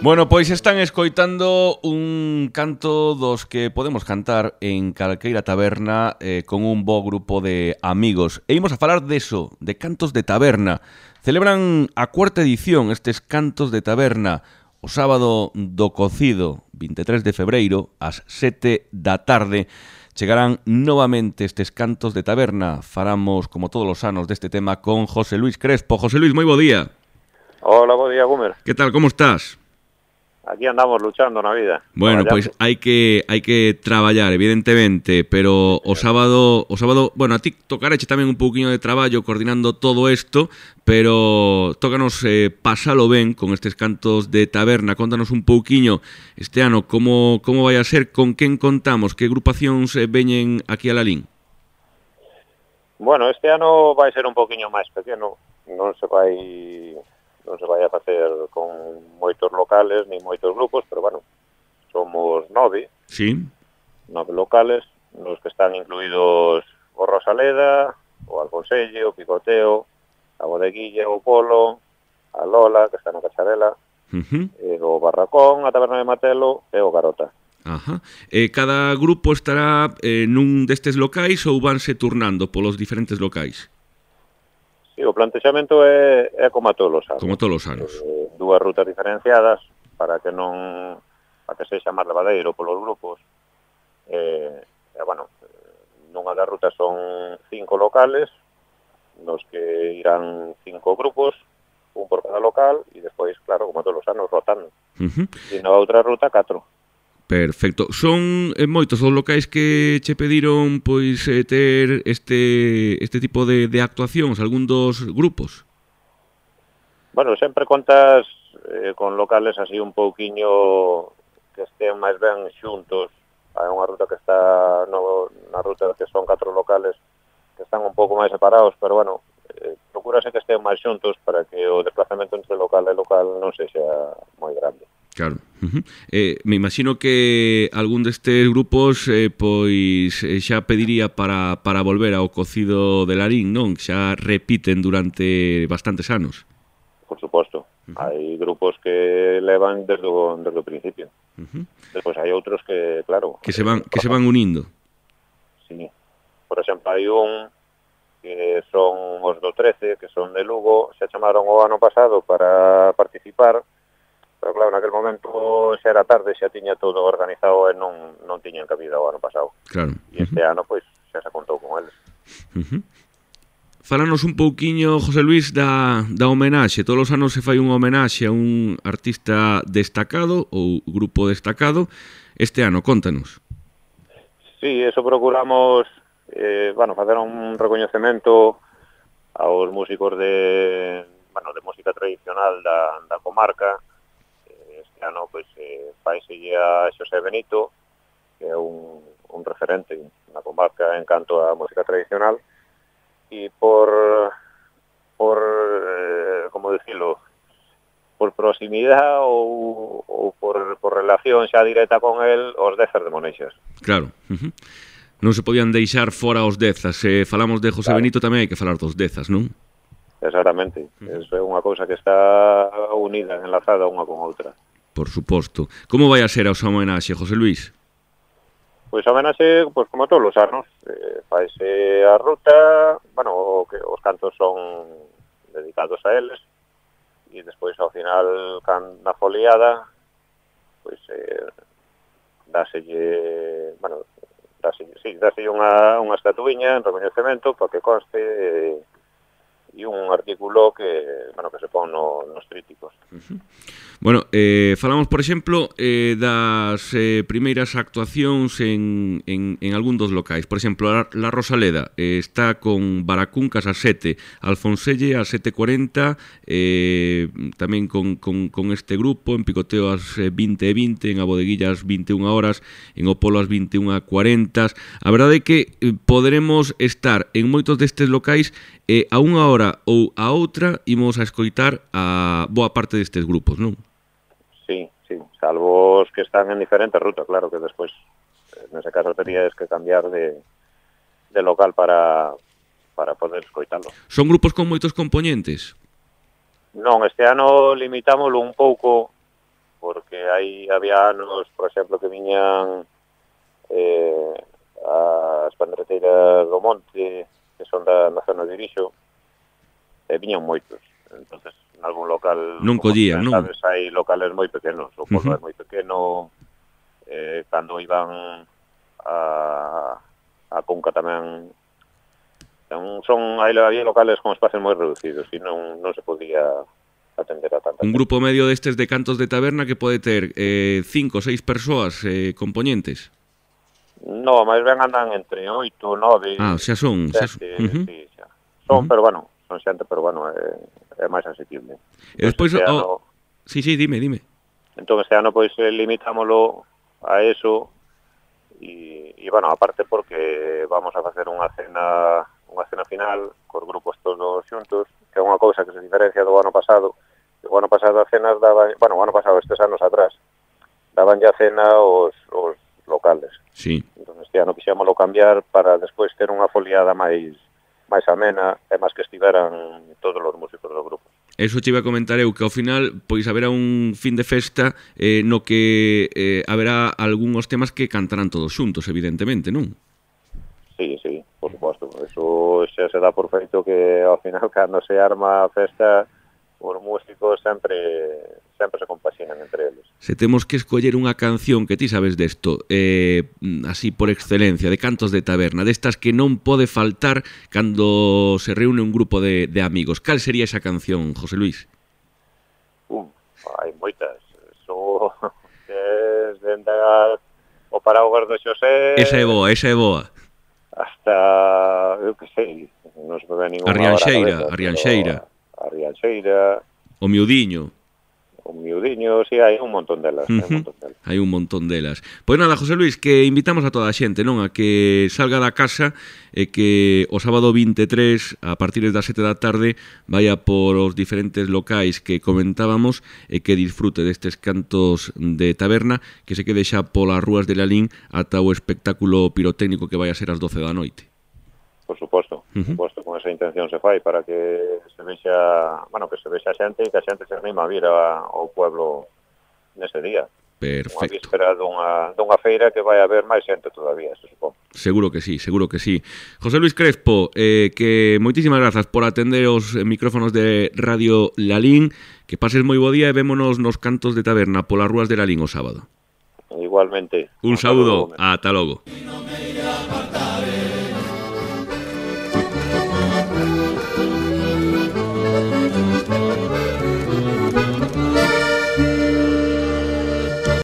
Bueno, pois están escoitando un canto dos que podemos cantar en calqueira taberna con un bo grupo de amigos. E imos a falar deso, de cantos de taberna. Celebran a cuarta edición estes cantos de taberna o sábado do cocido, 23 de febreiro, ás 7 da tarde. Chegarán novamente estes cantos de taberna. Faramos, como todos os anos, deste tema con José Luis Crespo. José Luis, moi bo día. Hola, bo día, Gumer. Que tal, como estás? Aquí andamos luchando na vida. Bueno, pois hai que traballar, evidentemente, pero o sábado, bueno, a ti tocareche tamén un pouquiño de traballo coordinando todo isto, pero tócanos pasalo ben con estes cantos de taberna. Contanos un pouquiño este ano como vai a ser, con quen contamos, que agrupacións veñen aquí a Lalín. Bueno, este ano vai ser un pouquiño máis pequeno, non se vai a facer con moitos locales ni moitos grupos, pero bueno, somos 9. Sí. 9 locales, nos que están incluídos o Rosaleda, o Alfonselle, o Picoteo, a Bodeguilla, o Polo, a Lola, que está na Cacharela, o Barracón, a Taberna de Matelo e o Garota. Ajá. Cada grupo estará nun destes locais ou vanse turnando polos diferentes locais? Sí, o plantexamento é como a todos os anos. Como todos os anos. Dúas rutas diferenciadas para que sexa máis levadeiro polos grupos. Bueno, nunha das rutas son 5 locales, nos que irán 5 grupos, un por cada local, e despois, claro, como todos os anos, rotando. E na outra ruta, 4. Perfecto. Son moitos os locais que che pediron pois ter este tipo de actuacións, algún dos grupos? Bueno, sempre contas con locales así un pouquiño que estén máis ben xuntos. Hai unha ruta que está na ruta que son 4 locales que están un pouco máis separados, pero bueno, procúrase que estén máis xuntos para que o desplazamento entre local e local non sexa moi grande. Claro. Me imagino que algún destes grupos pois xa pediría para volver ao cocido de Larín, non? Xa repiten durante bastantes anos. Por suposto. Hai grupos que levan desde o principio. Despois hai outros que, claro... Que se van unindo. Sí. Por exemplo, hai un que son os do 13, que son de Lugo, se chamaron o ano pasado para participar, pero claro, naquele momento xa era tarde, xa tiña todo organizado e non tiñan cabida o ano pasado. Claro. E este ano, pois, xa se contou con eles. Fálanos un pouquiño, José Luis, da homenaxe. Todos os anos se fai unha homenaxe a un artista destacado ou grupo destacado. Este ano, contanos. Sí, eso procuramos, facer un recoñecemento aos músicos de música tradicional da comarca. Este ano, pois, faiselle a Xosé Benito, que é un referente na comarca en canto a música tradicional, e por como dicilo, por proximidade ou por relación xa directa con el, os Dezas de Moneixas. Claro. Non se podían deixar fora os Dezas. Se falamos de José Benito tamén hai que falar dos Dezas, non? Exactamente. Eso é unha cousa que está unida, enlazada unha con outra. Por suposto. Como vai a ser a súa homenaxe, José Luis? Pois a homenaxe, pois como todos os anos, faise a ruta, os cantos son dedicados a eles, e despois ao final, na foliada, pois dáselle unha estatuiña en recoñecemento para que conste e un artículo que se pon nos tríticos. Bueno, falamos, por exemplo, das primeiras actuacións en algún dos locais. Por exemplo, la Rosaleda está con Baracuncas a 7, Alfonselle a 7:40, tamén con este grupo, en Picoteo ás 20:20, en a Bodeguilla ás 21 horas, en o Polo ás 21:40. A verdade é que poderemos estar en moitos destes locais a unha hora ou a outra imos a escoitar a boa parte destes grupos, non? Sí, salvo os que están en diferentes rutas, claro que despois nese caso terías que cambiar de local para para poder escoitalo. Son grupos con moitos componentes? Non, este ano limitámoslo un pouco porque había anos, por exemplo, que viñan as pandreteiras do Monte, que son na zona de Irixo, e viñan moitos. Entonces, en algún local, non collían, non? Sabes, hai locales moi pequenos, o pueblo é moi pequeno, cando iban a Cunca tamén, había locales con espacios moi reducidos e non se podía atender a tanta Un grupo medio destes de cantos de taberna que pode ter 5 ou 6 persoas componentes? No, máis ben andan entre 8 ou 9. Xa son. Sí, xa. Son, pero bueno, son xente, pero bueno, é máis asequible. E despois... Sí, dime. Entón, este ano, pois, limitámoslo a eso e bueno, aparte porque vamos a facer unha cena final cos grupos todos xuntos, que é unha cousa que se diferencia do ano pasado. O ano pasado as cenas daban... Bueno, o ano pasado, estes anos atrás, daban ya cena os locales. Sí. Entón, este ano quixémoslo cambiar para despois ter unha foliada máis amena e máis que estiveran todos os músicos do grupo. Eso te iba a comentar eu, que ao final pois haberá un fin de festa no que haberá algúns temas que cantarán todos xuntos, evidentemente, non? Sí, por suposto. Eso xa se dá por feito que ao final cando se arma a festa os músicos sempre se compaxinan entre eles. Se temos que escoller unha canción que ti sabes desto, así por excelencia, de cantos de taberna, destas que non pode faltar cando se reúne un grupo de amigos, cal sería esa canción, José Luis? Hai moitas. Eso es dende o Paraguas do Xosé... Esa é boa. Hasta, eu que sei, non se me ve ninguna... A Rianxeira. O Miudiño, sí, hai un montón delas. Hai un montón delas. Pois nada, José Luis, que invitamos a toda a xente, non? A que salga da casa e que o sábado 23, a partir das 7 da tarde, vaya por os diferentes locais que comentábamos e que disfrute destes cantos de taberna, que se quede xa polas rúas de Lalín ata o espectáculo pirotécnico que vai a ser ás 12 da noite. Por suposto, con esa intención se fai para que se vexa, que se vexa a xente e que a xente se anima a vir ao pueblo nese día. Perfecto. Unha víspera dunha feira que vai haber máis xente todavía, se supón. Seguro que sí. José Luis Crespo, que moitísimas grazas por atender os micrófonos de Radio Lalín, que pases moi bo día e vémonos nos cantos de taberna polas rúas de Lalín o sábado. Igualmente. Un saúdo, ata logo.